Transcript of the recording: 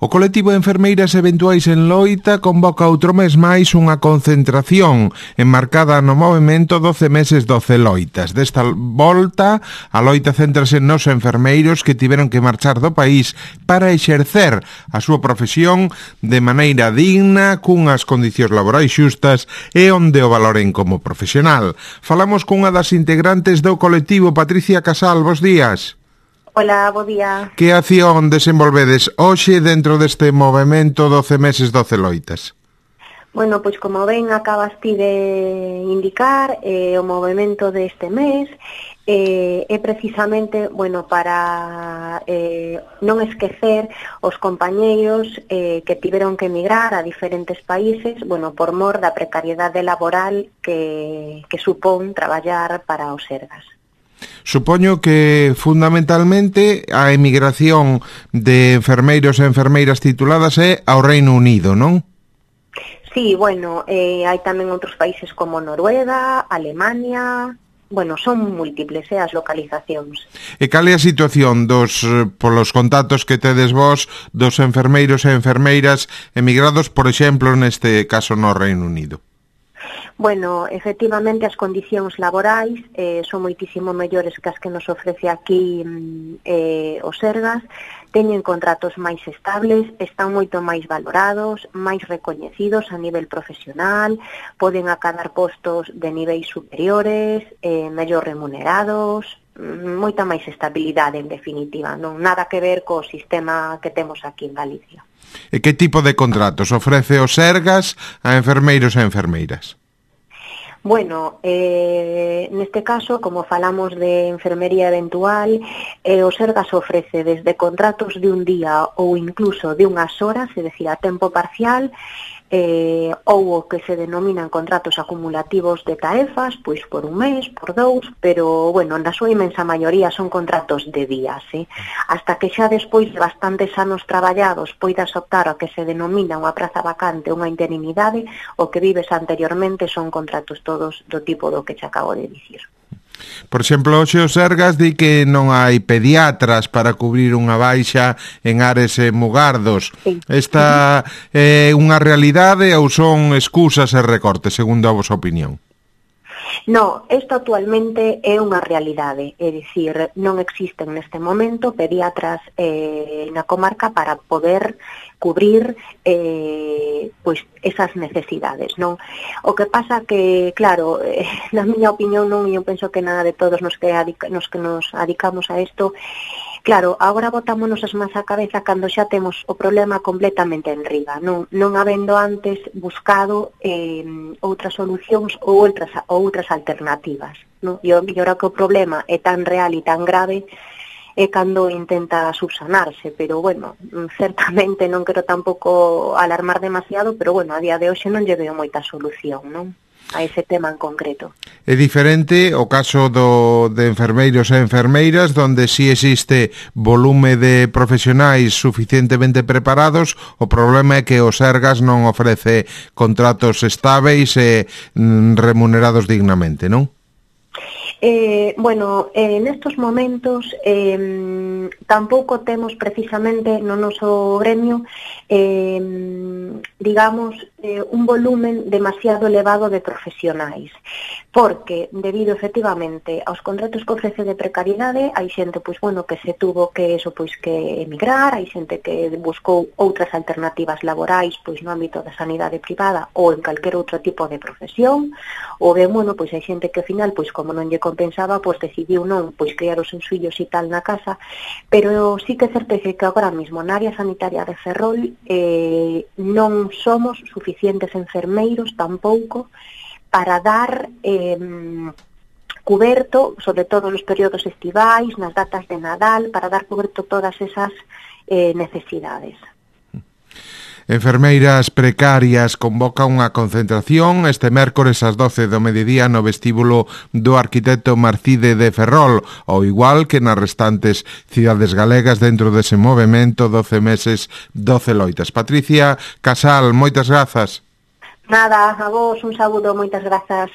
O colectivo de enfermeiras eventuais en Loita convoca outro mes máis unha concentración enmarcada no movemento 12 meses 12 loitas. Desta volta, a loita céntrase nos enfermeiros que tiveron que marchar do país para exercer a súa profesión de maneira digna, cunhas condicións laborais xustas e onde o valoren como profesional. Falamos cunha das integrantes do colectivo, Patricia Casal, bos días. Hola, bo día. Que acción desenvolvedes hoxe dentro deste movemento 12 meses 12 loitas? Bueno, pois como ben acabas ti de indicar, o movemento deste mes é precisamente, bueno, para non esquecer os compañeiros que tiveron que emigrar a diferentes países, bueno, por mor da precariedade laboral que supón traballar para o Sergas. Supoño que fundamentalmente a emigración de enfermeiros e enfermeiras tituladas é ao Reino Unido, non? Sí, bueno, hai tamén outros países como Noruega, Alemania, bueno, son múltiples as localizacións. E cal é a situación polos contactos que tedes vos dos enfermeiros e enfermeiras emigrados, por exemplo, neste caso no Reino Unido? Bueno, efectivamente as condicións laborais son moitísimo mellores que as que nos ofrece aquí o Sergas. Teñen contratos máis estables, están moito máis valorados, máis recoñecidos a nivel profesional, poden acadar postos de niveis superiores, mellor remunerados, moita máis estabilidade en definitiva, non nada que ver co sistema que temos aquí en Galicia. E que tipo de contratos ofrece o Sergas a enfermeiros e enfermeiras? Bueno, neste caso, como falamos de enfermería eventual, o Sergas ofrece desde contratos de un día ou incluso de unhas horas, é dicir, a tempo parcial, ou o que se denominan contratos acumulativos de taefas, pois por un mes, por dous, pero, bueno, na súa imensa maioría son contratos de días, hasta que xa despois de bastantes anos traballados poidas optar ao que se denomina unha praza vacante, unha interinidade, o que vives anteriormente son contratos todos do tipo do que che acabo de dicir. Por exemplo, hoxe o Sergas di que non hai pediatras para cubrir unha baixa en Ares e Mugardos. Sí. Esta é unha realidade ou son excusas e recortes, segundo a vosa opinión? No, isto actualmente é unha realidade, é dicir, non existen neste momento pediatras na comarca para poder cubrir pois esas necesidades, non? O que pasa que, claro, na miña opinión non, eu penso que nada de todos nos que nos adicamos a isto. Claro, agora botámonos as mans á cabeza cando xa temos o problema completamente enriba, non habendo antes buscado outras solucións ou outras alternativas, non? E ahora que o problema é tan real e tan grave é cando intenta subsanarse, pero bueno, certamente non quero tampouco alarmar demasiado, pero bueno, a día de hoxe non lle veo moita solución, non? A ese tema en concreto. É diferente o caso de enfermeiros e enfermeiras, donde si existe volume de profesionais suficientemente preparados. O problema é que o Sergas non ofrece contratos estáveis e remunerados dignamente, non? Bueno, nestos momentos tampouco temos precisamente no noso gremio digamos un volumen demasiado elevado de profesionais, porque debido efectivamente aos contratos que ofrece de precariedade hai xente pois bueno que se tuvo que emigrar, hai xente que buscou outras alternativas laborais pois no ámbito da sanidade privada ou en calquer outro tipo de profesión, ou ben bueno pois hai xente que ao final pois como non lle compensaba, pois decidiu non pois criar os seus fillos e tal na casa, pero sí que é certo que agora mesmo na área sanitaria de Ferrol non somos suficientes enfermeiros tampouco para dar cuberto, sobre todo nos períodos estivais, nas datas de Nadal, para dar cuberto todas esas necesidades. Enfermeiras precarias convoca unha concentración este mércores ás 12 do mediodía no vestíbulo do Arquitecto Marcide de Ferrol, ao igual que nas restantes cidades galegas dentro dese movemento 12 meses, 12 loitas. Patricia Casal, moitas grazas. Nada, a vos un saúdo, moitas grazas.